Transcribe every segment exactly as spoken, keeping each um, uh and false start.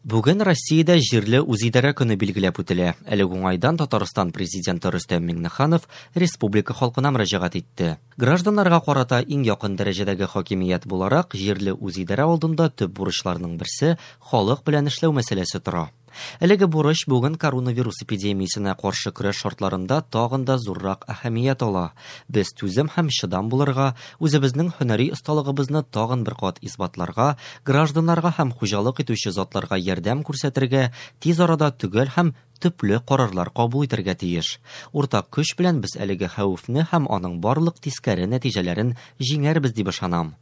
Бүген Россиядә җирле үзидарә көне билгеләп үтелә. Әлеге уңайдан Татарстан президенты Рөстәм Миңнеханов республика халкына мөрәҗәгать итте. Гражданнарга карата иң якын дәрәҗәдәге хакимият буларак, җирле үзидарә алдында төп бурычларның берсе халык белән эшләү мәсьәләсе тора. Әлеге бурыч бүген коронавирус эпидемиясенә каршы көрәш шартларында тагын да зуррак әһәмият ала. Без түзем һәм чыдам булырга, үзебезнең һөнәри осталыгыбызны тагын бер кат исбатларга, гражданнарга һәм хуҗалык итүче затларга ярдәм күрсәтергә, тиз арада төгәл һәм төпле карарлар кабул итәргә тиеш. Уртак көч белән без әлеге хәвефне һәм аның барлык тискәре нәтиҗәләрен җиңәрбез дип ышанам.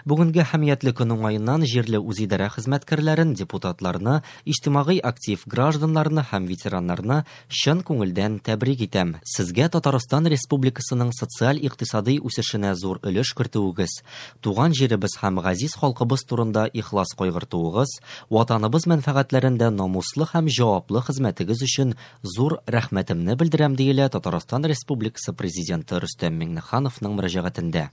Бүгенге әһәмиятле көн уңаеннан җирле үзидарә хезмәткәрләрен, депутатларны, иҗтимагый актив гражданнарны һәм ветераннарны чын күңелдән тәбрик итәм. Сезгә Татарстан Республикасының социаль-икътисади үсешенә зур өлеш кертүегез, туган җиребез һәм газиз халкыбыз турында ихлас кайгыртуыгыз, ватаныбыз мәнфәгатьләрендә намуслы һәм җаваплы хезмәтегез өчен зур рәхмәтемне белдерәм, диелә Татарстан Республикасы Президенты Рөстәм Миңнехановның мөрәҗәгатендә.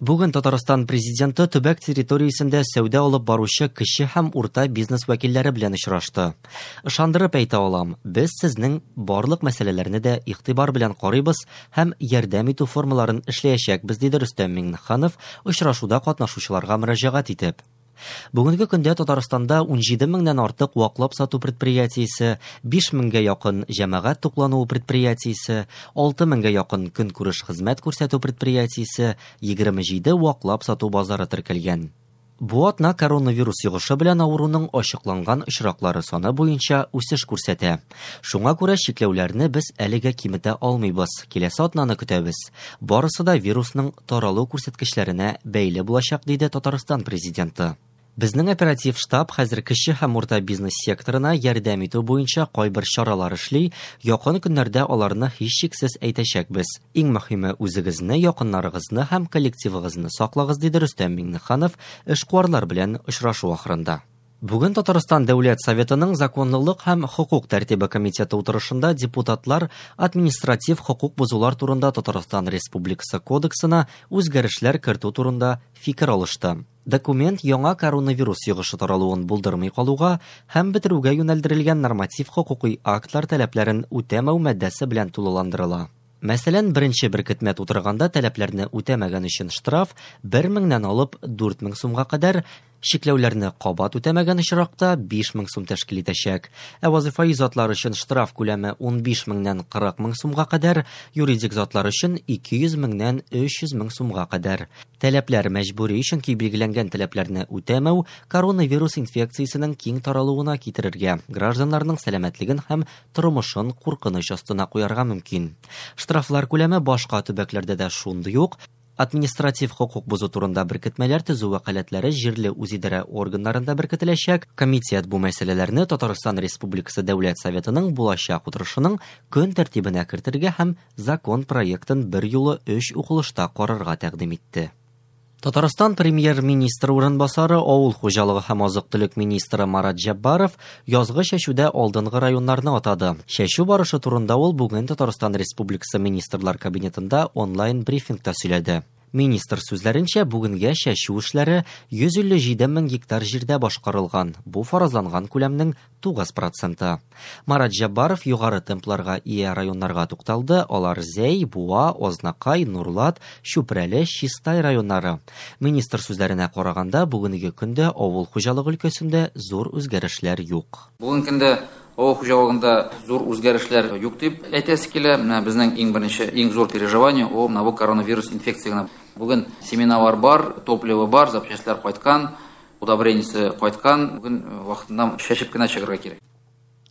Бүген Татарстан президенты төбәк территориясендә сәүдә алып баручы кече һәм урта бизнес вәкилләре белән очрашты. Ышандырып әйтә алам, без сезнең барлык мәсьәләләрне дә игътибар белән карыйбыз һәм ярдәм итү формаларын эшләячәкбез, диде Рөстәм Миңнеханов очрашуда катнашучыларга мөрәҗәгать итеп. Бүгенге көндә Татарстанда ун җиде меңнән артык ваклап сату предприятиесе, биш меңгә якын җәмәгать туклануы предприятиесе, алты меңгә якын көнкүреш хезмәт күрсәтү предприятиесе, егерме җиде ваклап сату базары теркәлгән. Бу атна коронавирус йогышы белән авыруның ачыкланган очраклары саны буенча үсеш күрсәтә. Шуңа күрә чикләүләрне без әлегә киметә алмыйбыз. Киләсе атнаны көтәбез. Барысы да вирусның таралу күрсәткечләренә бәйле булачак, диде Татарстан президенты. Безнең оператив штаб хәзер кече һәм урта бизнес секторына ярдәм итү буенча кайбер чаралар эшли, якын көннәрдә аларны һичшиксез әйтәчәкбез. Иң мөһиме үзегезне, якыннарыгызны һәм коллективыгызны саклагыз, диде Рөстәм Миңнеханов эшкуарлар белән очрашу ахырында. Бүген Татарстан Дәүләт Советының Законлылык һәм хокук тәртибе комитеты утырышында депутатлар административ хокук бозулар турында Татарстан Республикасы Кодексына үзгәрешләр кертү турында фикер алышты. Документ яңа коронавирус йогышы таралуын булдырмый калуга һәм бетерүгә юнәлдерелгән норматив хокукый актлар таләпләрен үтәмәү маддәсе белән тулыландырыла. Мәсәлән, беренче беркетмә тутырганда таләпләрне үтәмәгән өчен штраф бер меңнән алып дүрт мең сумга кадәр, чикләүләрне кабат үтәмәгән очракта биш мең сум тәшкил итәчәк. Ә вазифаи затлар өчен штраф күләме ун биш меңнән кырык мең сумга кадәр, юридик затлар өчен ике йөз меңнән өч йөз мең сумга кадәр. Таләпләр мәҗбүри, чөнки билгеләнгән таләпләрне үтәмәү коронавирус инфекциясенең киң таралуына китерергә, гражданнарның сәламәтлеген һәм тормышын куркыныч астына куярга мөмкин. Штрафлар күләме башка төбәкләрдә дә шундый ук. Административ хокук бозу турында беркетмәләр төзү вәкаләтләре җирле үзидарә органнарында беркетеләчәк. Комитет бу мәсьәләләрне Татарстан Республикасы Дәүләт Советының булачак утырышының көн тәртибенә кертергә һәм закон проектын бер юлы өч укылышта карарга тәкъдим итте. Татарстан премьер-министры урынбасары, авыл хуҗалыгы һәм азык-төлек министры Марат Җәббаров язгы чәчүдә алдынгы районнарны атады. Чәчү барышы турында ул бүген Татарстан Республикасы Министрлар Кабинетында онлайн брифингта сөйләде. Министр сүзләренчә, бүгенгә чәчү эшләре йөз илле җиде мең гектар җирдә башкарылган. Бу фаразланган күләмнең тугыз проценты. Марат Җәббаров югары темпларга ия районнарга тукталды. Алар Зәй, Буа, Ознакай, Нурлат, Чүпрәле, Чистай районнары. Министр сүзләренә караганда, бүгенге көндә авыл хуҗалыгы өлкәсендә зур үзгәрешләр юк. Бүгенге көндә авыл хуҗалыгында зур үзгәрешләр юк дип әйтәсе килә. Менә безнең иң беренче, иң зур переживание ул менә бу коронавирус инфекциясенә. Бүген семиналар бар, топливо бар, запчастьлар кайткан, удобрениесе кайткан. Бүген вакытында чәчеп кенә чыгарга кирәк.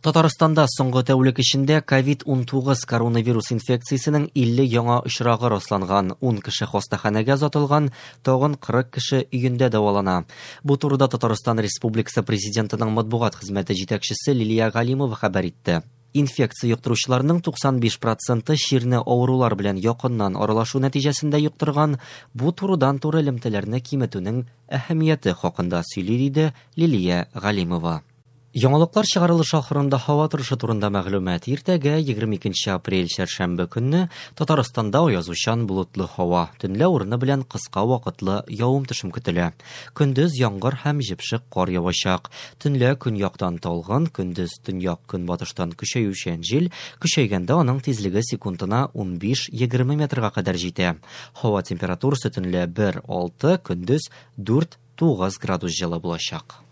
Татарстанда соңгы тәүлек эчендә ковид унтугыз коронавирус инфекциясенең илле яңа очрагы расланган. Ун кеше хастаханәгә озатылган, тагын кырык кеше өендә дәвалана. Бу турыда Татарстан Республикасы Президентының матбугат хезмәте җитәкчесе Лилия Галимова хәбәр итте. Инфекция йоктыручыларның туксан биш проценты чирне авырулар белән якыннан аралашу нәтиҗәсендә йоктырган. Бу турыдан-туры элемтәләрне киметүнең әһәмияте хакында сөйли, диде Лилия Галимова. Яңалыклар чыгарылышы ахырында һава торышы турында мәгълүмат. Иртәгә егерме икенче апрель чәршәмбе көнне Татарстанда аязучан болытлы һава. Төнлә урыны белән кыска вакытлы явым-төшем көтелә. Көндез яңгыр һәм җепшек кар явачак. Төнлә көньяктан талгын, көндез төньяк көнбатыштан көчәючән җил, көчәйгәндә аның тизлеге секундына унбиш-егерме метрга кадәр җитә. Һава температурасы төнлә бер алты, көндез дүрт тугыз градус җылы булачак.